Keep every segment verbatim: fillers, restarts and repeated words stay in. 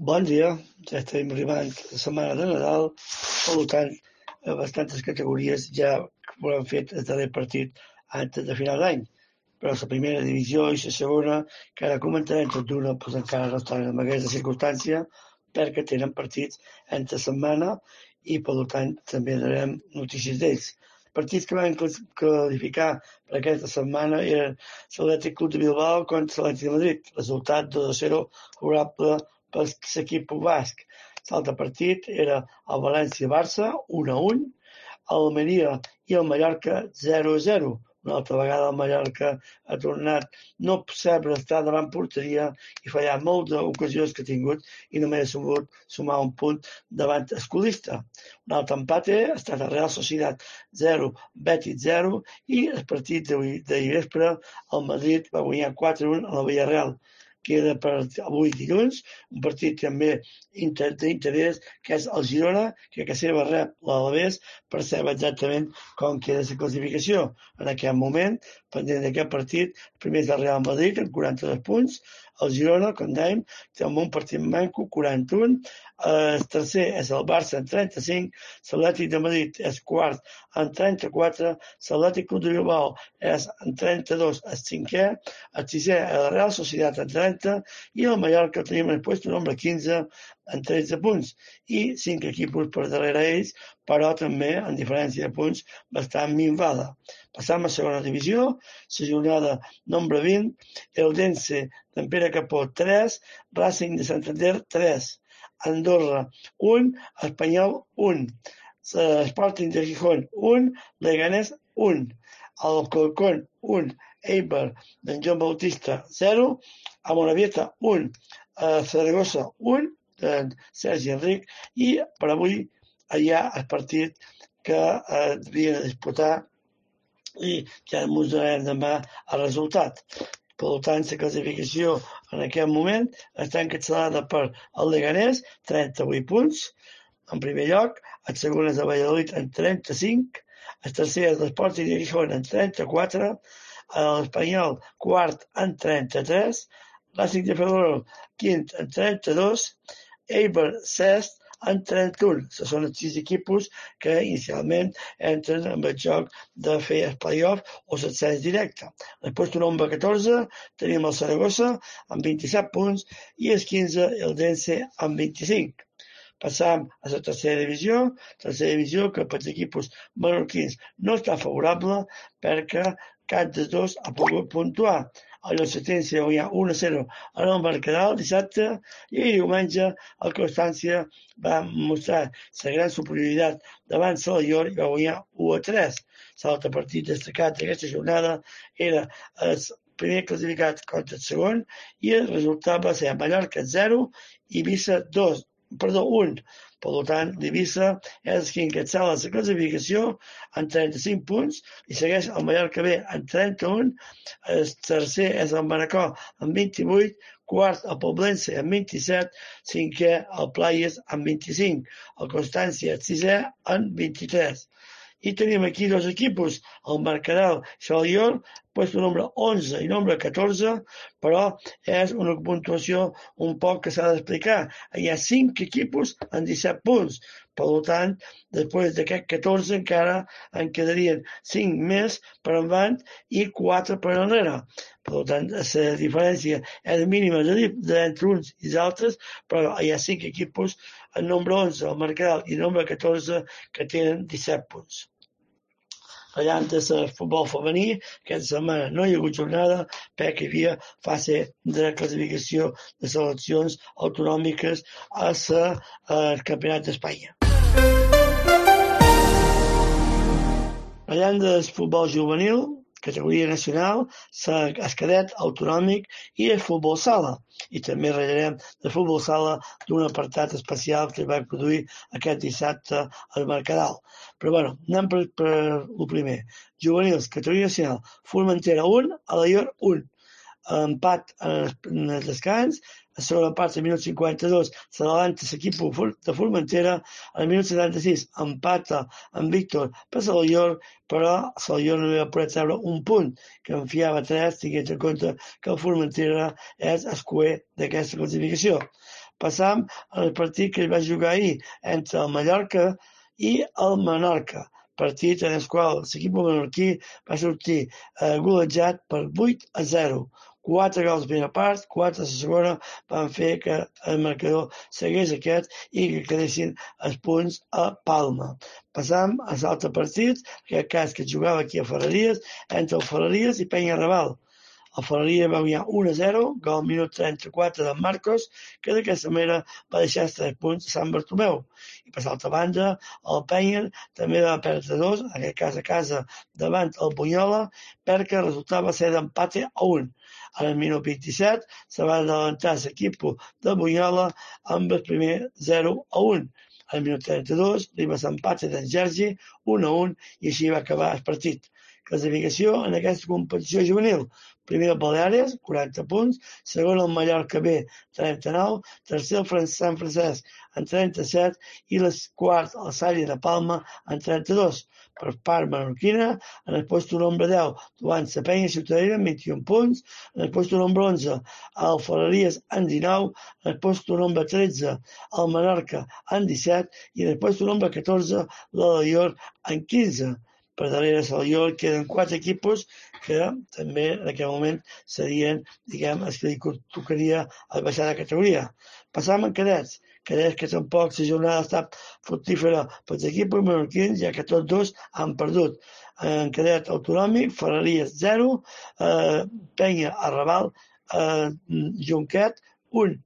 Bon dia, ja estem arribant a la setmana de Nadal, per tant, a bastantes categories ja ho han fet el darrer partit antes de final d'any, però la primera divisió i la segona, que ara comentarem tot d'una, doncs encara no estan en aquesta circumstància perquè tenen partits entre setmana i, per tant, també donarem notícies d'ells. Partits que van qualificar per aquesta setmana eren l'Atlètic Club de Bilbao contra l'Atlètic de Madrid, resultat dos a zero favorable per l'equip basc. L'altre partit era el València-Barça, un a un, l'Almeria i el Mallorca, zero a zero. Una altra vegada el Mallorca ha tornat no saber estar davant porteria i fallar molt d'ocasions que ha tingut i només ha sabut sumar un punt davant escolista. Un altre empat ha estat el Real Sociedad zero, Betis zero i el partit d'ahir vespre el Madrid va guanyar quatre a un a la Villarreal. Queda per avui dilluns un partit també d'interès que és el Girona, que a casa seva rep l'Alavés per saber exactament com queda la classificació. En aquest moment, pendent d'aquest partit, el primer és el Real Madrid amb quaranta-dos punts, el Girona, com dèiem, té un partit manco, quaranta-un, el tercer és el Barça amb trenta-cinc, l'Atlètic de Madrid és quart amb trenta-quatre, l'Atlètic Club de Bilbao és amb trenta-dos, el cinquè, el sisè és el Real Sociedad amb trenta i el Mallorca tenim el lloc número quinze amb tretze punts i cinc equips per darrere ells, però també en diferència de punts bastant minvada. Passam a segona divisió, la jornada número vint, Eldense d'en Pere Capó tres, Racing de Santander tres, Andorra un, Espanyol un, Sporting de Gijón un, Leganés un, Alcorcón un, Eibar d'en Joan Bautista zero, a Moravieta un, a Saragossa un, d'en Sergi Enric, i per avui hi ha el partit que eh, havia de disputar i ja ens donarem demà el resultat. Per tant, la classificació en aquest moment està encapçalada per el Leganés, trenta-vuit punts, en primer lloc, el segon és el Valladolid amb trenta-cinc, el tercer és l'Sporting de Gijón amb trenta-quatre, l'Espanyol quart amb trenta-tres, Racing de Ferrol quint amb trenta-dos, Eibar sest amb trenta-un. Són els sis equips que inicialment entren en el joc de fer el play-off o l'ascens directe. Després del nombre catorze tenim el Saragossa amb vint-i-set punts i el quinze el Dense amb vint-i-cinc. Passam a la tercera divisió, tercera divisió que per als equips menorquins no està favorable perquè cap dels dos ha pogut puntuar. A l'Ocetense va guanyar un a zero en el Mercadal dissabte i diumenge el Constància va mostrar la gran superioritat davant Salallor i va guanyar u a tres. L'altre partit destacat d'aquesta jornada era el primer classificat contra el segon i el resultat va ser Mallorca zero i Eivissa dos, perdó, un. Per tant, l'Eivissa és qui encapçala la classificació amb trenta-cinc punts i segueix el Mallorca B amb trenta-un, el tercer és el Manacor amb vint-i-vuit, quart el Poblense amb vint-i-set, cinquè el Playas amb vint-i-cinc, el Constància el sisè amb vint-i-tres. I tenim aquí dos equips, el Mercadal i Salallor, puesto número onze i número catorze, però és una puntuació un poc que s'ha d'explicar. Hi ha cinc equips amb disset punts. Per tant, després d'aquest catorze encara en quedarien cinc més per endavant i quatre per enrere. Per tant, la diferència és mínima entre uns i els altres, però hi ha cinc equips, el nombre onze, el Mercadal i el nombre catorze, que tenen disset punts. Parlant del futbol femení, aquesta setmana no hi ha hagut jornada perquè hi havia fase de classificació de seleccions autonòmiques al Campionat d'Espanya. Parlant del futbol juvenil, categoria nacional, el cadet autonòmic i el futbol sala. I també ratllarem de futbol sala d'un apartat especial que es va produir aquest dissabte al Mercadal. Però bueno, anem per, per el primer. Juvenils, categoria nacional, Formentera un, Alaior un. Empat en el descans, a la segona part, al minut cinquanta-dos, s'adavanta l'equip de Formentera, al minut setanta-sis empata amb Víctor per Salallor, però Salallor no va poder treure un punt, que en fiava tres, tinguent en compte que el Formentera és el cuer d'aquesta classificació. Passam al partit que es va jugar ahir entre el Mallorca i el Menorca, partit en el qual l'equip menorquí va sortir eh, golejat per vuit a zero. Quatre gols a la primera part, quatre a la segona, van fer que el marcador seguís aquest i que quedessin els punts a Palma. Passam a l'altre partit, en aquest cas que jugava aquí a Ferreries, entre el Ferreries i Penyarrebal. El Ferreria va guanyar u a zero, gol al minut trenta-quatre de Marcos, que d'aquesta manera va deixar els tres punts a Sant Bartomeu. I per l'altra banda, el Penya també va perdre dos, en aquest cas a casa davant el Bunyola, perquè el resultat va ser d'empate a un. Al minut vint-i-set se va adelantar l'equip de Bunyola amb el primer zero a un. Al minut trenta-dos arriba l'empate d'en Sergi, un a un, i així va acabar el partit. Classificació en aquesta competició juvenil. Primer el Baleares, quaranta punts, segon el Mallorca B, trenta-nou, tercer el Sant Francesc, amb trenta-set, i el quart el Sària de Palma, amb trenta-dos. Per part menorquina, en el lloc número deu, davant la Penya Ciutadella, amb vint-i-un punts, en el lloc número onze, el Ferreries, amb dinou, en el lloc número tretze, el Menorca, amb disset, i en el lloc número catorze, l'Alaior, amb quinze. Per darrere de l'Alaior queden quatre equipos que també en aquest moment serien, diguem, els que li tocaria el baixar de categoria. Passam en cadets. Cadets que tampoc la jornada ha estat fructífera pels equips menorquins, ja que tots dos han perdut. En cadet autonòmic, Ferreries zero, eh, Penya Arrabal, eh, Junquet un.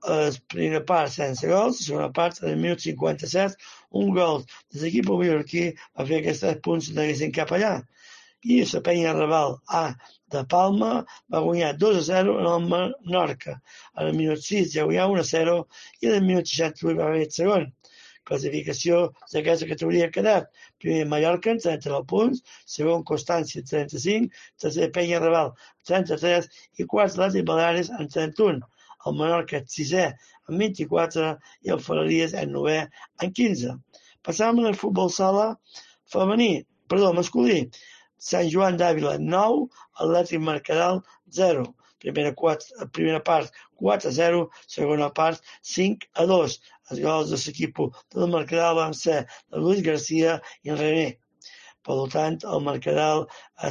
La primera part sense gols, la segona part en el minut cinquanta-set, un gol de l'equip menorquí va fer que els tres punts no haguessin cap allà. I la Penya Arrabal A de Palma va guanyar dos a zero en el Menorca. En el minut sis ja guanyava un a zero i en el minut seixanta-vuit va haver el segon. Classificació d'aquesta categoria ha quedat primer Mallorca amb trenta-nou punts, segon Constància amb trenta-cinc, tercer Penya Arrabal amb trenta-tres i quart l'Atlètic Baleares amb trenta-un. El Menorca és sisè amb vint-i-quatre i el Ferreries és novè amb quinze. Passam al futbol sala femení, perdó, masculí. Sant Joan d'Àvila nou, Atlètic Mercadal zero. Primera, quatre, primera part quatre a zero, segona part cinc a dos. Els gols de l'equip del Mercadal van ser de Luis García i en René. Per tant, el Mercadal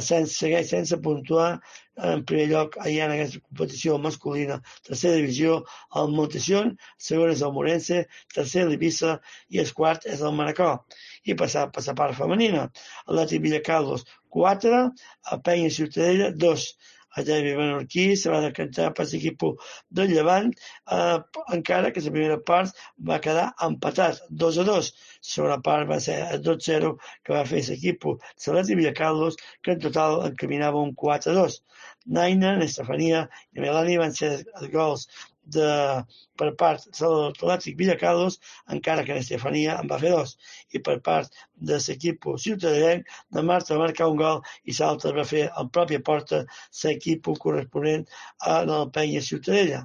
sense, segueix sense puntuar. En primer lloc, allà en aquesta competició masculina, tercera divisió, el Montesión, segon és el Morense, tercer l'Eivissa i el quart és el Manacor. I passar per la part femenina, Atlètic Villacarlos quatre, a Penya Ciutadella dos. El derbi menorquí se va decantar per l'equip del Llevant, eh, encara que la primera part va quedar empatat, dos a dos. La segona part va ser el dos a zero que va fer l'equip de l'Atlètic Villacarlos, que en total encaminava un quatre a dos. Naina, Estefania i Melani van ser els gols de, per part de l'Atlètic Villacarlos, encara que Estefania en va fer dos. I per part de l'equip ciutadellenc, de Marta va marcar un gol i l'altre va fer en pròpia porta l'equip corresponent a la Penya Ciutadella.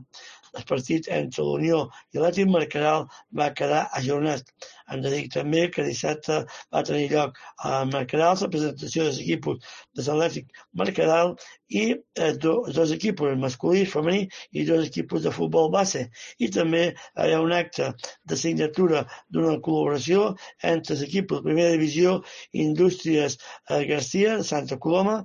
El partit entre l'Unió i l'Atlètic Mercadal va quedar ajornat. Hem de dir també que dissabte va tenir lloc a Mercadal la presentació dels equipos de l'Atlètic Mercadal i eh, dos, dos equipos, el masculí, el femení i dos equipos de futbol base. I també hi ha un acte de signatura d'una col·laboració entre els equipos de primera divisió Indústries eh, Garcia de Santa Coloma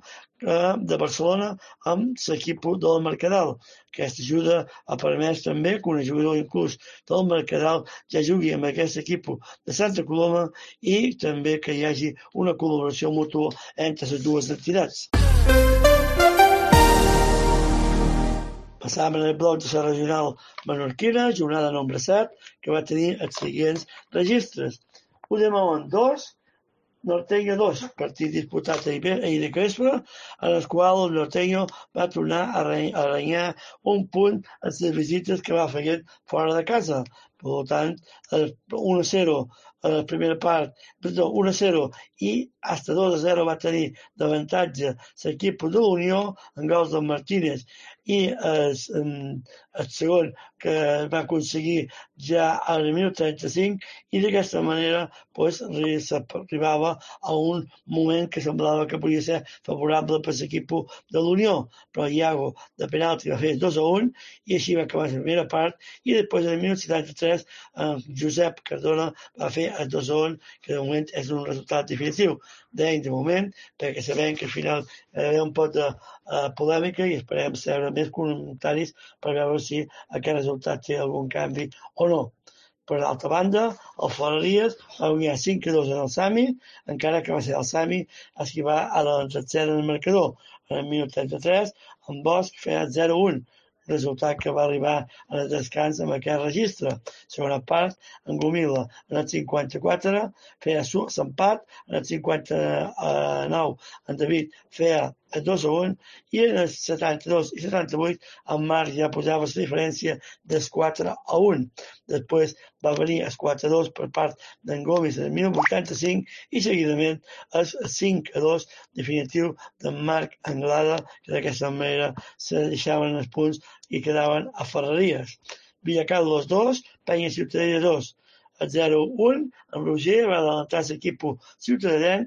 eh, de Barcelona amb l'equip del Mercadal. Aquesta ajuda ha permès també que un jugador inclús del Mercadal ja jugui amb aquest equip de Santa Coloma i també que hi hagi una col·laboració mútua entre les dues entitats. Passàvem en el bloc de la regional menorquina, jornada nombre set, que va tenir els següents registres. Udemont dos, Norteño dos, partit disputat ahir de Crespa, en el qual el Norteño va tornar a aranyar un punt en les visites que va fer fora de casa. Per tant, un a zero a la primera part, perdó, un a zero i hasta dos a zero va tenir d'avantatge l'equip de l'Unió en gols del Martínez i el, el segon que va aconseguir ja al minut trenta-cinc, i d'aquesta manera pues, s'arribava a un moment que semblava que podia ser favorable per l'equip de l'Unió, però Iago de penalti va fer dos a un i així va acabar la primera part, i després al minut setanta-tres eh, Josep Cardona va fer el dos a un, que de moment és un resultat definitiu. Deim de moment, perquè sabem que al final hi ha un pot de uh, polèmica i esperem saber més comentaris per veure si aquest resultat té algun canvi o no. Per l'altra banda, el Ferreries va guanyar cinc a dos en el Sami, encara que va ser el Sami el que va a la tercera en el marcador. En el minut trenta-tres, en Bosch feia zero a un, resultat que va arribar en el descans amb aquest registre. Segona part, en Gomila, en el cinquanta-quatre, feia l'empat, en el cinquanta-nou, en David feia el dos a un, i en els setanta-dos i setanta-vuit el Marc ja posava la diferència del quatre a un. Després va venir el quatre a dos per part d'en Gomis en el minut vuitanta-cinc i seguidament el cinc a dos definitiu d'en Marc Anglada, que d'aquesta manera se deixaven els punts i quedaven a Ferreries. Villacarlos dos, Penya Ciutadella dos. El zero a un, en Roger va adelantar l'equip ciutadà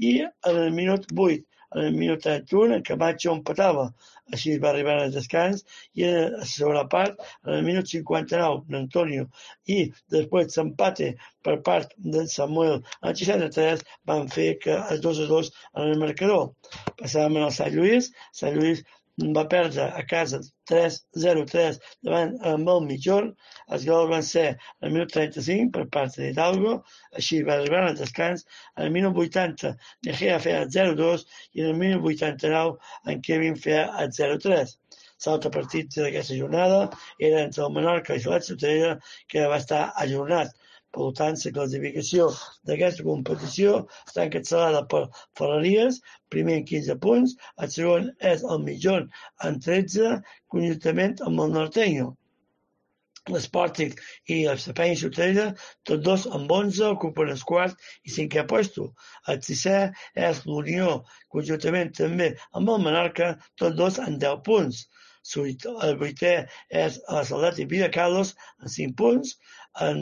i en el minut vuit, en el minut trenta-u, en Camacho empatava. Així va arribar al descans i a la segona part, en el minut cinquanta-nou, d'Antonio, i després l'empate per part d'en Samuel en el seixanta-tres van fer que el dos a dos en el marcador. Passàvem al Sant Lluís. Sant Lluís va perdre a casa tres a zero tres davant amb el Mitjorn. Els gols van ser al minut trenta-cinc per part d'Hidalgo, així va arribar al descans. En el minut vuitanta Negea feia el zero a dos i en el minut vuitanta-nou en Kevin feia el zero a tres. L'altre partit d'aquesta jornada era entre el Menorca i la Ciutadella, que va estar ajornat. Per tant, la classificació d'aquesta competició està encapçalada per Ferreries, primer amb quinze punts, el segon és el Mitjorn amb tretze, conjuntament amb el Norteño. L'Sporting i el Penya Ciutadella, tots dos amb onze, ocupen el quart i cinquè puesto. El sisè és l'Unió, conjuntament també amb el Menorca, tots dos amb deu punts. El vuitè és l'Atlètic Villacarlos amb cinc punts, en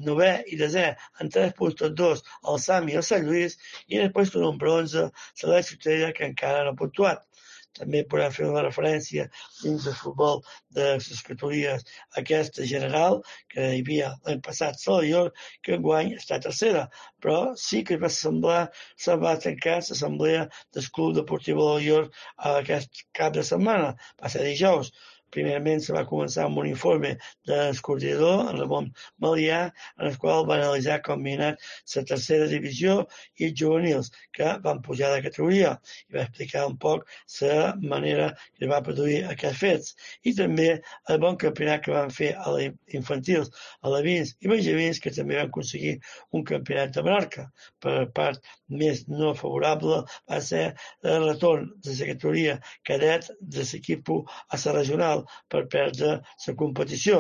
novè i desè amb tres punts tots dos el Sami i el Sant Lluís, i després el nombre onze, la Ciutadella, que encara no ha puntuat. També podem fer una referència dins del futbol de les categories aquesta general, que hi havia l'any passat Salvador, que enguany està tercera, però sí que va semblar, se va tancar l'assemblea del Club Deportiu Salvador aquest cap de setmana, va ser dijous. Primerament se va començar amb un informe del coordinador, en Ramon Malià, en el qual va analitzar com havia anat la tercera divisió i els juvenils, que van pujar de categoria, i va explicar un poc la manera que va produir aquests fets. I també el bon campionat que van fer a les infantils, a Levins i Benjamins, que també van aconseguir un campionat de Menorca. Per part més no favorable va ser el retorn de la categoria cadet de l'equip a la regional, per perdre la competició.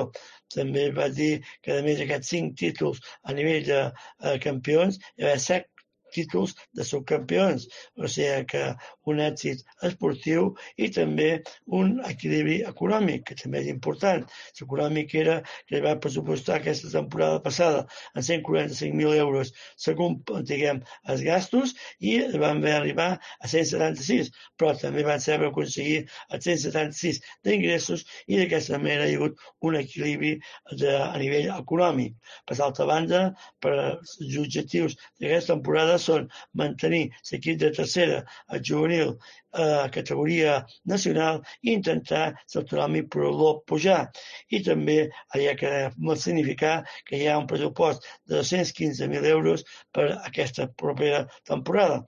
També va dir que a més d'aquests cinc títols a nivell de eh, campions, hi va haver set títols de subcampions, o sigui que un èxit esportiu i també un equilibri econòmic, que també és important. L'econòmic era que va pressupostar aquesta temporada passada en cent quaranta-cinc mil euros segons, diguem, els gastos, i van haver arribar a cent setanta-sis, però també van saber aconseguir els cent setanta-sis d'ingressos i d'aquesta manera hi ha hagut un equilibri de, a nivell econòmic. Per l'altra banda, per els objectius d'aquesta temporada són mantenir l'equip de tercera, el juvenil, a categoria nacional i intentar l'autonòmic per pujar. I també hi ha que significar que hi ha un pressupost de dos-cents quinze mil euros per aquesta propera temporada.